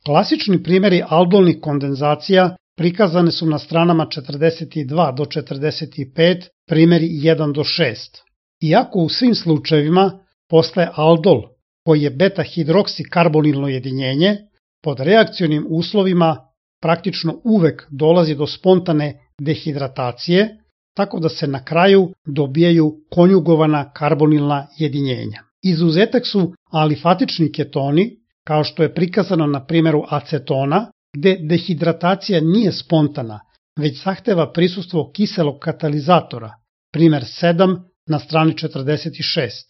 Klasični primjeri aldolnih kondenzacija prikazane su na stranama 42 do 45, primjeri 1 do 6. Iako u svim slučajevima postaje aldol, koji je beta-hidroksikarbonilno jedinjenje, pod reakcionim uslovima praktično uvek dolazi do spontane dehidratacije, tako da se na kraju dobijaju konjugovana karbonilna jedinjenja. Izuzetak su alifatični ketoni, kao što je prikazano na primjeru acetona, gde dehidratacija nije spontana, već zahteva prisustvo kiselog katalizatora, primjer 7 na strani 46.